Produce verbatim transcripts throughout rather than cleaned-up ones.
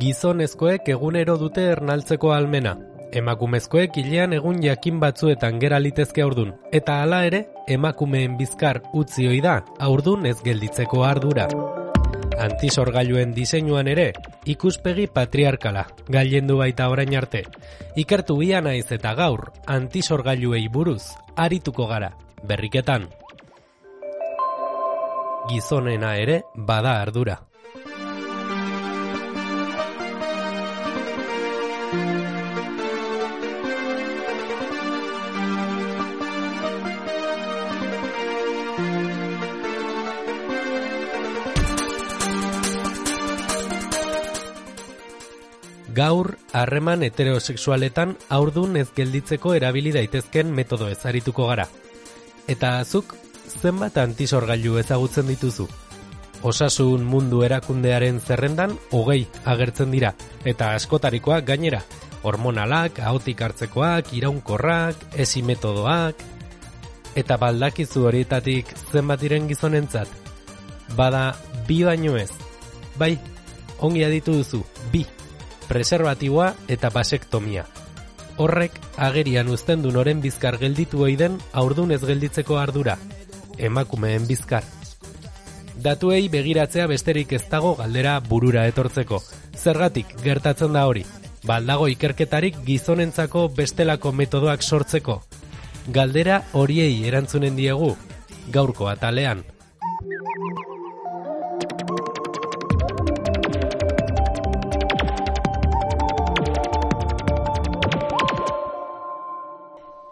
Gizonezkoek egunero dute ernaltzeko ahalmena. Emakumezkoek hilean egun jakin batzuetan gera litezke haurdun, eta hala ere, emakumeen bizkar utzi ohi da haurdun ez gelditzeko ardura. Antisorgailuen diseinuan ere, ikuspegi patriarkala, gailendu baita orain arte. Ikertu ia naiz eta gaur, antisorgailuei buruz, arituko gara, berriketan. Gizonena ere bada ardura. Gaur, harreman heterosexualetan haurdun ez gelditzeko erabili daitezken metodo ezarituko gara. Eta azuk, zenbat antisorgailu ezagutzen dituzu? Osasun mundu erakundearen zerrendan hogei agertzen dira, eta askotarikoak gainera, hormonalak, ahotik hartzekoak, iraunkorrak, esi metodoak, eta baldakizu horietatik zenbat diren gizonentzat? Bada, bi baino ez. Bai, ongi aditu duzu, bi. Preservatiboa eta basektomia. Horrek agerian uzten du noren bizkar gelditu ohi den haurdun ez gelditzeko ardura, emakumeen bizkar. Datuei begiratzea besterik ez dago galdera burura etortzeko. Zergatik gertatzen da hori? Baldago ikerketarik gizonentzako bestelako metodoak sortzeko. Galdera horiei erantzunen diegu, gaurko atalean.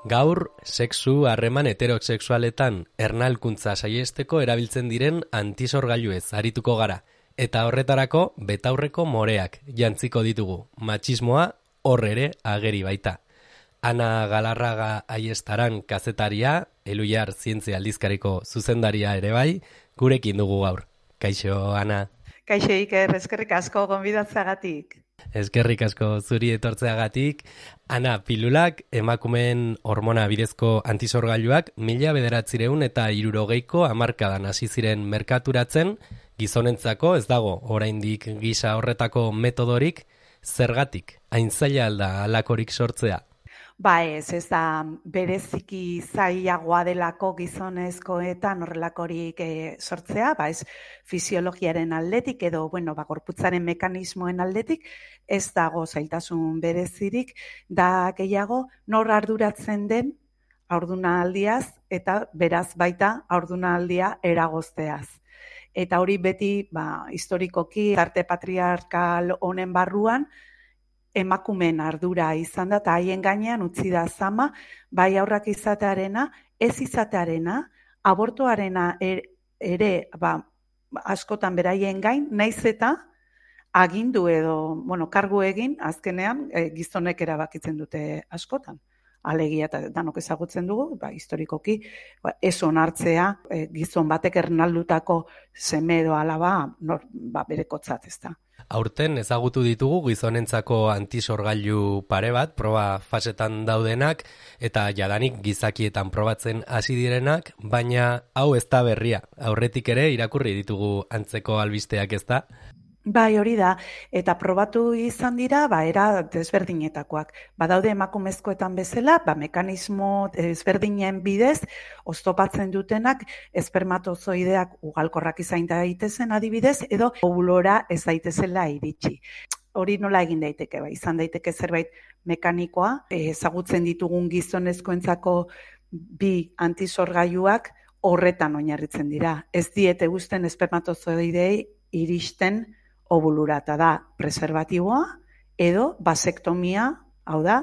Gaur, sexu harreman heterosexualetan ernalkuntza saiesteko erabiltzen diren antisorgailuez arituko gara. Eta horretarako betaurreko moreak jantziko ditugu. Matxismoa hor ere ageri baita. Ana Galarraga Aiestaran kazetaria, Eluiar Zientzia Aldizkariko zuzendaria ere bai, gurekin dugu gaur. Kaixo, Ana. Kaixo, Iker, eskerrik asko gonbidatzeagatik. Eskerrik asko zuri etortzeagatik. Ana, pilulak, emakumeen hormona bidezko antisorgailuak mila bederatzireun eta hirurogeiko hamarkadan hasi ziren merkaturatzen, gizonentzako ez dago oraindik gisa horretako metodorik, zergatik, hain zaila alda halakorik sortzea? Ba ez, ez da bereziki zailagoa delako gizonezkoetan horrelakorik e, sortzea, ba ez fisiologiaren aldetik edo, bueno, ba gorputzaren mekanismoen aldetik, ez dago zailtasun berezirik, da gehiago nor arduratzen den haurdunaldiaz eta beraz baita haurdunaldia eragozteaz. Eta hori beti, ba, historikoki, arte patriarkal honen barruan, emakumeen ardura izan da, eta haien gainean utzi da zama, bai aurrak izatearena, ez izatearena, abortoarena ere, ba, askotan beraien gain, naiz eta agindu edo, bueno, kargu egin, azkenean e, gizonek erabakitzen dute askotan. Alegia eta danok ezagutzen dugu, ba, historikoki, ba, ez onartzea e, gizon batek ernaldutako seme edo alaba nor, ba, berekotzat ez da. Aurten ezagutu ditugu gizonentzako antisorgailu pare bat, proba fasetan daudenak, eta jadanik gizakietan probatzen hasi direnak, baina hau ez da berria. Aurretik ere irakurri ditugu antzeko albisteak ez da? Bai, hori da, eta probatu izan dira, ba, era desberdinetakoak. Badaude emakumezkoetan bezala, ba, mekanismo desberdinen bidez, oztopatzen dutenak, espermatozoideak ugalkorrak izan daitezen adibidez, edo ovulora ez daitezela iritsi. Hori nola egin daiteke, ba, izan daiteke zerbait mekanikoa, ezagutzen ditugun gizonezkoentzako bi antisorgailuak horretan oinarritzen dira. Ez diete guzten espermatozoidei iristen ovulura, eta da preservatiboa edo basektomia, hau da,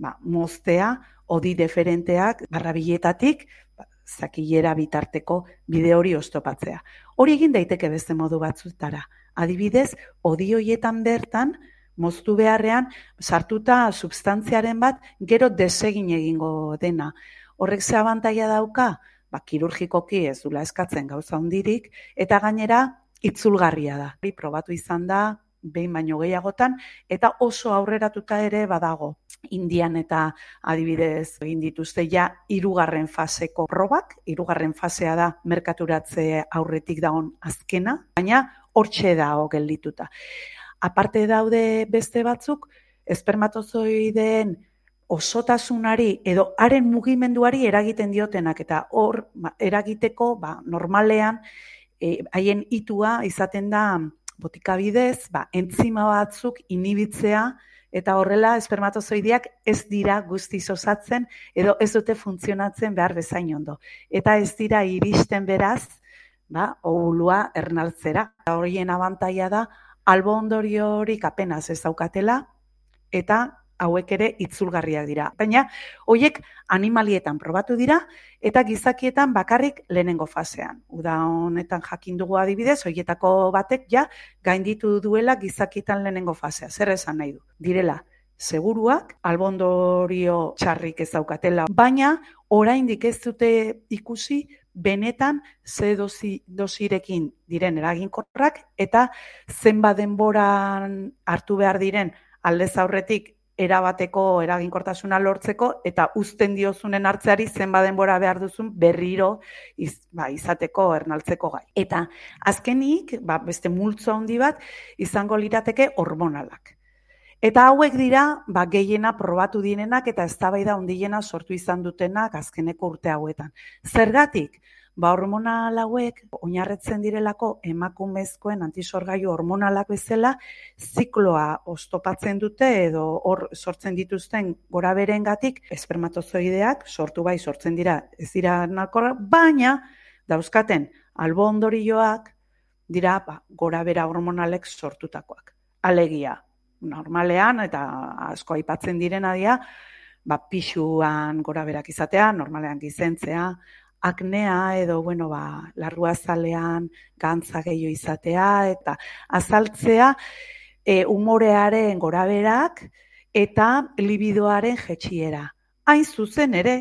ba, moztea, odi deferenteak barrabiletatik, ba, zakilera bitarteko bide hori oztopatzea. Hori egin daiteke beste modu batzutara. Adibidez, odi horietan bertan, moztu beharrean, sartuta substantziaren bat, gero desegin egingo dena. Horrek ze abantaila dauka? Ba, kirurgikoki ez dula eskatzen gauza hundirik, eta gainera, itzulgarria da. Probatu izan da, behin baino gehiagotan, eta oso aurreratuta ere badago. Indian eta adibidez egin dituzte ja hirugarren faseko probak, hirugarren fasea da merkaturatze aurretik dagoen azkena, baina hortxe dago geldituta. Aparte daude beste batzuk, espermatozoideen osotasunari edo haren mugimenduari eragiten diotenak, eta hor ba, eragiteko ba, normalean e, haien itua izaten da botika bidez, ba, entzima batzuk inibitzea, eta horrela espermatozoideak ez dira guztiz osatzen edo ez dute funtzionatzen behar bezain ondo. Eta ez dira iristen beraz, ba, ovulua ernaltzera. Horien abantaila da, albo ondoriorik apenas ez daukatela, eta hauek ere itzulgarriak dira. Baina, horiek animalietan probatu dira, eta gizakietan bakarrik lehenengo fasean. Uda honetan jakin dugu adibidez, horietako batek ja gainditu duela gizakietan lehenengo fasea. Zer esan nahi du? Direla, seguruak, albondorio txarrik ez daukatela, baina oraindik ez dute ikusi benetan ze dosi, dosirekin diren eraginkorrak, eta zenbat denboran hartu behar diren aldez aurretik erabateko eraginkortasuna lortzeko, eta uzten diozunen hartzeari zenbat denbora behar duzun berriro iz, ba, izateko ernaltzeko gai. Eta azkenik, ba, beste multzo handi bat, izango lirateke hormonalak. Eta hauek dira, ba, gehiena probatu direnak eta eztabaida handiena sortu izan dutenak azkeneko urte hauetan. Zergatik? Ba, hormonal hauek oinarritzen direlako emakumezkoen antisorgailu hormonalak bezala zikloa oztopatzen dute edo hor sortzen dituzten goraberengatik espermatozoideak sortu bai sortzen dira ez dira nahikoak, baina dauzkaten albo ondorioak dira ba, gorabera hormonalek sortutakoak. Alegia, normalean eta asko aipatzen direna dira, ba, pixuan goraberak izatea, normalean gizentzea, aknea edo, bueno, ba, larruazalean gantza gehiago izatea eta azaltzea e, umorearen goraberak eta libidoaren jetxiera. Hain zuzen ere,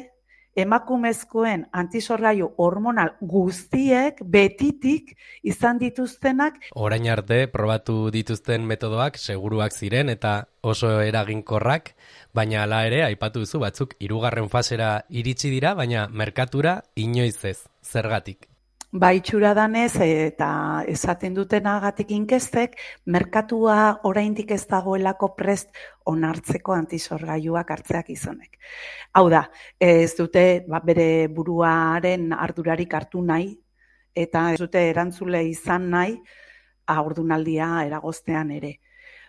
emakumezkoen antisorgailu hormonal guztiek betitik izan dituztenak. Orain arte probatu dituzten metodoak seguruak ziren eta oso eraginkorrak, baina hala ere aipatu duzu batzuk hirugarren fasera iritsi dira, baina merkatura inoiz ez. Zergatik? Ba, itxura danez eta esaten dutenagatik inkestek, merkatua oraindik ez dagoelako prest onartzeko antisorgailuak hartzeak gizonek. Hau da, ez dute ba, bere buruaren ardurarik hartu nahi, eta ez dute erantzule izan nahi haurdunaldia eragoztean ere.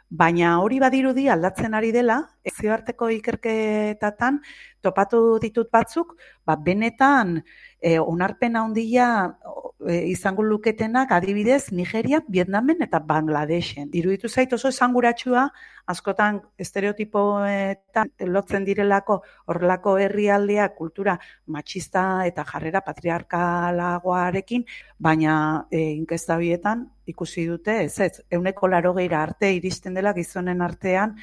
Baina hori badirudi aldatzen ari dela, nazioarteko ikerketatan topatu ditut batzuk, ba, benetan e, onarpen handia e, izango luketenak adibidez Nigeria, Vietnamen eta Bangladesen. Iruditu zait oso esanguratsua, askotan estereotipoetan lotzen direlako horrelako herrialdeak kultura matxista eta jarrera patriarkalagoarekin, baina e, inkesta bietan ikusi dute, ez ez, ehuneko laurogeira arte iristen dela gizonen artean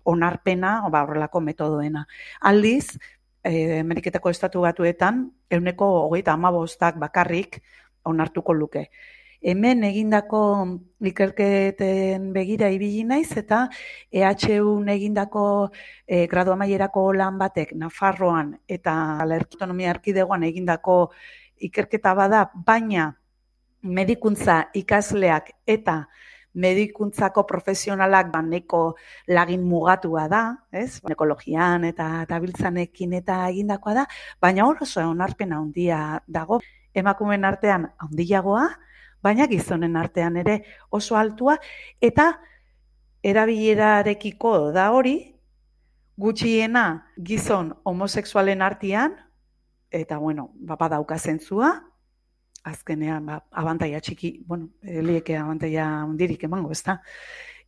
onarpena, ba, horrelako metodoena. Aldiz, eh, Ameriketako Estatu Batuetan, ehuneko hogeita hamabostak bakarrik onartuko luke. Hemen egindako ikerketen begira ibili naiz eta E H Un egindako eh, gradu amaierako lan batek Nafarroan eta Autonomia Erkidegoan egindako ikerketa bada, baina medikuntza ikasleak eta medikuntzako profesionalak baneko lagin mugatua da, ez? Ekologian eta tabiltzanekin eta egindakoa da, baina hor oso onarpen handia dago. Emakumeen artean handiagoa, baina gizonen artean ere oso altua, eta erabilerarekiko da hori, gutxiena gizon homosexualen artean, eta bueno, bapa dauka zentzua, azkenean, ba, abantaia txiki, bueno, lieke abantaia hundirik emango, ez da?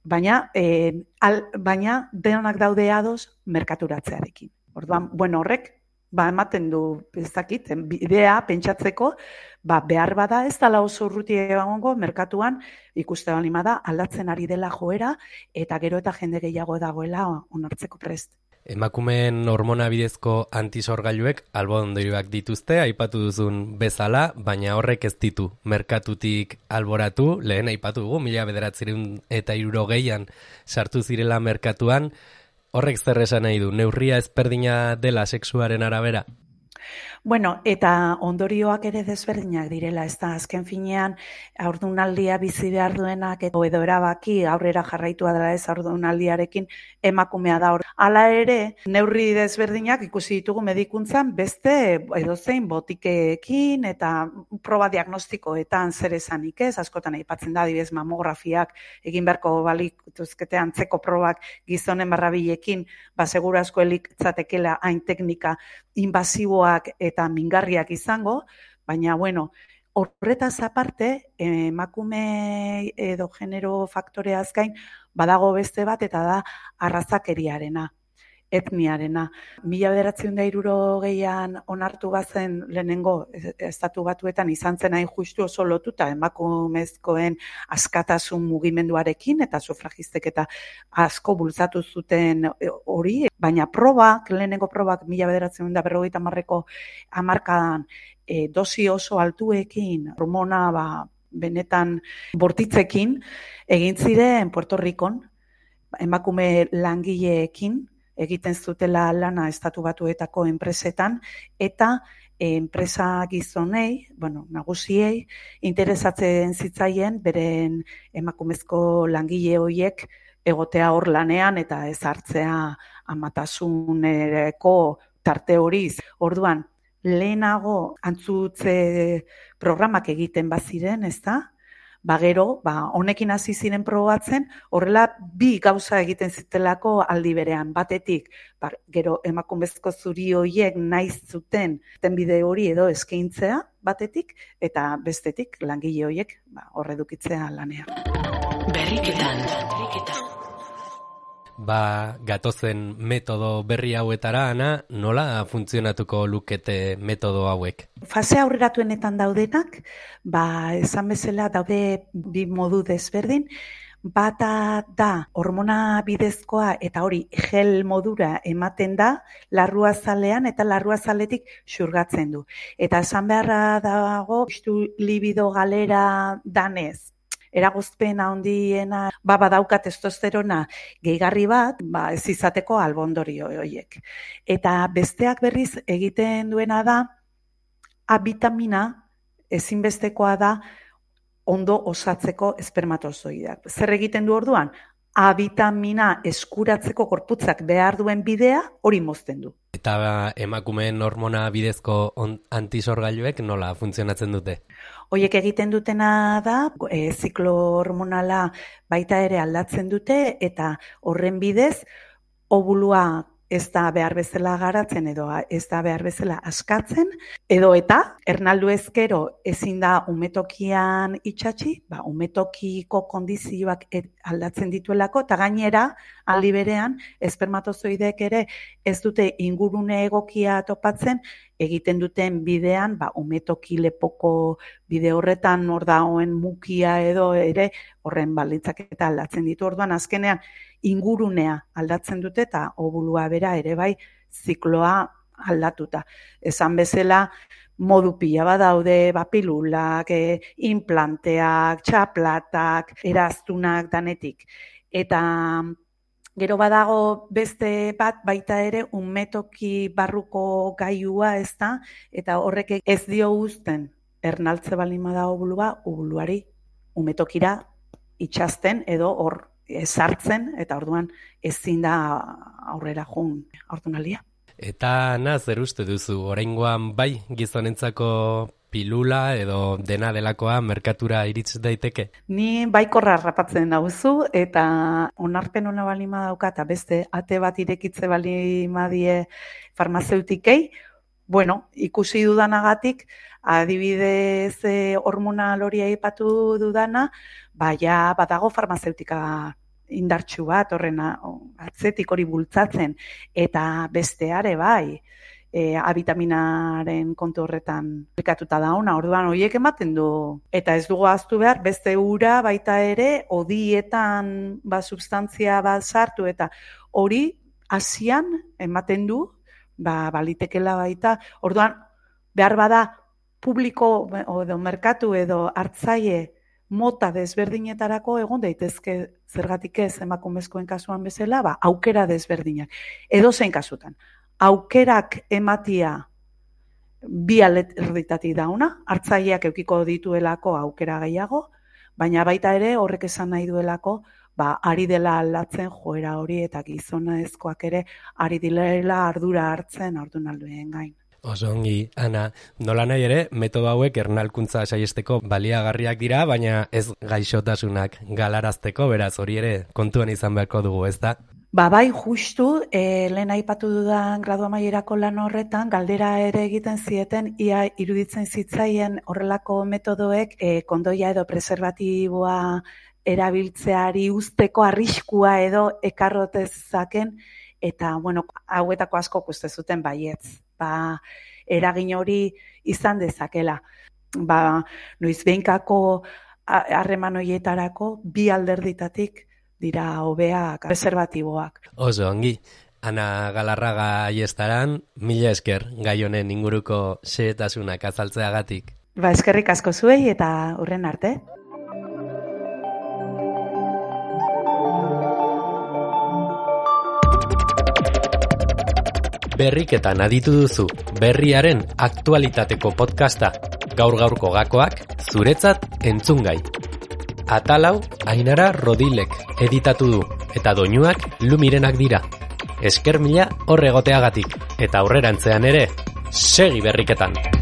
Baina, e, al, baina denak daude ados merkaturatzearekin. Orduan, bueno, horrek, ba, ematen du, ez dakit, bidea pentsatzeko, ba, behar bada ez dela oso urruti egongo merkatuan, ikuste balima da, aldatzen ari dela joera, eta gero eta jende gehiago dagoela onartzeko prest. Emakumeen hormona bidezko antisorgailuek albo ondorioak dituzte, aipatu duzun bezala, baina horrek ez ditu merkatutik alboratu, lehen aipatu dugu, mila bederatziehun eta hirurogeian sartu zirela merkatuan, horrek zer esan nahi du, neurria ezberdina dela sexuaren arabera? Bueno, eta ondorioak ere desberdinak direla, ez da, azken finean, haurdunaldia bizi behar duenak edo edo erabaki aurrera jarraitua dela ez haurdunaldiarekin emakumea da hor. Hala ere, neurri desberdinak ikusi ditugu medikuntzan beste edozein botikeekin eta proba diagnostikoetan zer esanik ez, askotan aipatzen da, adibidez mamografiak egin beharko balituzkete antzeko probak gizonen barrabilekin, ba seguru asko elitzatekela hain teknika invasiboak eta mingarriak izango, baina bueno, horretaz aparte, emakume edo genero faktoreaz gain badago beste bat eta da arrazakeriarena, etniarena. Mila bederatziehun eta hirurogeian onartu bazen lehenengo estatu batuetan izan zen hain justu oso lotuta emakumezkoen askatasun mugimenduarekin eta sufragistek eta asko bultzatu zuten hori, baina probak, lehenengo probak mila bederatziehun eta berrogeita hamarreko hamarkadan e, dosi oso altuekin, hormona ba, benetan bortitzekin, egin ziren Puerto Ricon, emakume langileekin, egiten zutela lana estatu batuetako enpresetan, eta enpresa gizonei, bueno, nagusiei, interesatzen zitzaien beren emakumezko langile horiek egotea hor lanean eta ez hartzea amatasuneko tarte horiz. Orduan, lehenago antzutze programak egiten baziren, ez da? Ba gero, ba, honekin hasi ziren probatzen, horrela bi gauza egiten zitelako aldi berean. Batetik, ba, gero emakumezko zuri horiek nahi zuten bide hori edo eskaintzea batetik, eta bestetik langile horiek ba, horredukitzea lanean. Berriketan, berriketan. Ba, gatozen metodo berri hauetara, Ana, nola funtzionatuko lukete metodo hauek? Fase aurreratuenetan daudenak, ba, esan bezala daude bi modu desberdin, bata da hormona bidezkoa eta hori gel modura ematen da larruazalean eta larruazaletik xurgatzen du. Eta esan beharra dago, justu libido galera danez, eragozpen handiena ba badauka testosterona gehigarri bat, ba ez izateko albondorio horiek. Eta besteak berriz egiten duena da A bitamina ezinbestekoa da ondo osatzeko espermatozoideak. Zer egiten du orduan? A bitamina eskuratzeko gorputzak behar duen bidea hori mozten du. Eta emakumeen hormona bidezko antisorgailuek nola funtzionatzen dute? Hoiek egiten dutena da, e, ziklo hormonala baita ere aldatzen dute eta horren bidez obulua ez da behar bezala garatzen edo ez da behar bezala askatzen, edo eta ernaldu ezkero ezin da umetokian itxatxi, ba, umetokiko kondizioak aldatzen dituelako, eta gainera aldi berean espermatozoideek ere ez dute ingurune egokia topatzen, egiten duten bidean, ba, umetoki lepoko bide horretan hor dagoen mukia edo ere horren baldintzaketa aldatzen ditu. Orduan azkenean ingurunea aldatzen dute eta obulua bera ere bai zikloa aldatuta. Esan bezala modu pila badaude, ba, pilulak, e, implanteak, txaplatak, eraztunak danetik. Eta gero badago beste bat baita ere umetoki barruko gailua ez da, eta horrek ez dio uzten ernaltze baldin bada obulua, obuluari umetokira itxasten edo hor ezartzen, eta orduan ezin da aurrera joan haurdunaldia. Eta na, zer uste duzu, oraingoan bai gizonentzako pilula edo dena delakoa merkatura irits daiteke? Ni baikorra harrapatzen dauzu eta onarpen ona balima dauka eta beste ate bat irekitze balima die farmazeutikei, bueno, ikusi dudanagatik, adibidez eh, hormonal hori aipatu dudana, baina badago farmazeutika indartsu bat horren atzetik hori bultzatzen eta besteare bai. E, A bitaminaren kontu horretan aplikatuta da ona, orduan horiek ematen du. Eta ez dugu ahaztu behar, beste ura baita ere, odietan ba, substantzia bat sartu, eta hori hasian ematen du, ba, balitekela baita. Orduan, behar bada publiko edo merkatu edo hartzaile mota desberdinetarako egon daitezke zergatik ez emakumezkoen kasuan bezala, ba, aukera desberdinak. Edo zein kasutan. Aukerak ematia bi alderditatik dauna, hartzaileak eukiko dituelako aukera gehiago, baina baita ere horrek esan nahi duelako, ba, ari dela aldatzen joera hori eta gizonezkoak ere ari direla ardura hartzen haurdunalduen gain. Oso ongi, Ana, nola nahi ere, metodo hauek ernalkuntza saiesteko baliagarriak dira, baina ez gaixotasunak galarazteko, beraz hori ere kontuan izan beharko dugu, ez da? Ba, bai, justu, e, lehen aipatu dudan gradu amaierako lan horretan, galdera ere egiten zieten, ia iruditzen zitzaien horrelako metodoek e, kondoia edo preservatiboa erabiltzeari usteko arriskua edo ekarrotezaken, eta, bueno, hauetako asko uste zuten baietz. Ba, eragin hori izan dezakela. Ba, noiz behinkako harreman horietarako bi alderditatik dira hobeak preservatiboak. Oso ongi. Ana Galarraga Aiestaran, mila esker gai honen inguruko xehetasunak azaltzeagatik. Ba, eskerrik asko zuei eta hurren arte. Berriketan aditu duzu, berriaren aktualitateko podcasta, gaur-gaurko gakoak, zuretzat entzungai. Atalau, Ainara Rodilek editatu du, eta doinuak Lumirenak dira. Esker mila horregoteagatik, eta aurrerantzean ere, segi berriketan!